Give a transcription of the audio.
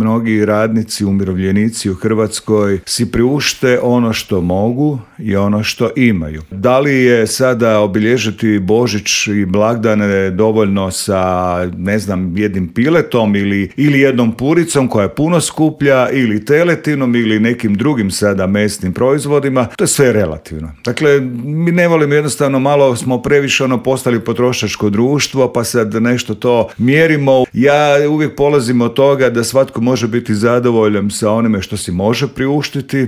mnogi radnici, umirovljenici u Hrvatskoj si priušte ono što mogu i ono što imaju. Da li je sada obilježiti Božić i blagdane dovoljno sa, jednim piletom ili jednom puricom koja je puno skuplja ili teletinom ili nekim drugim sada mesnim proizvodima, to je sve relativno. Dakle, mi ne volimo, jednostavno malo smo previše postali potrošačko društvo, pa sad nešto to mjerimo. Ja uvijek polazim od toga da svatko može biti zadovoljan sa onime što si može priuštiti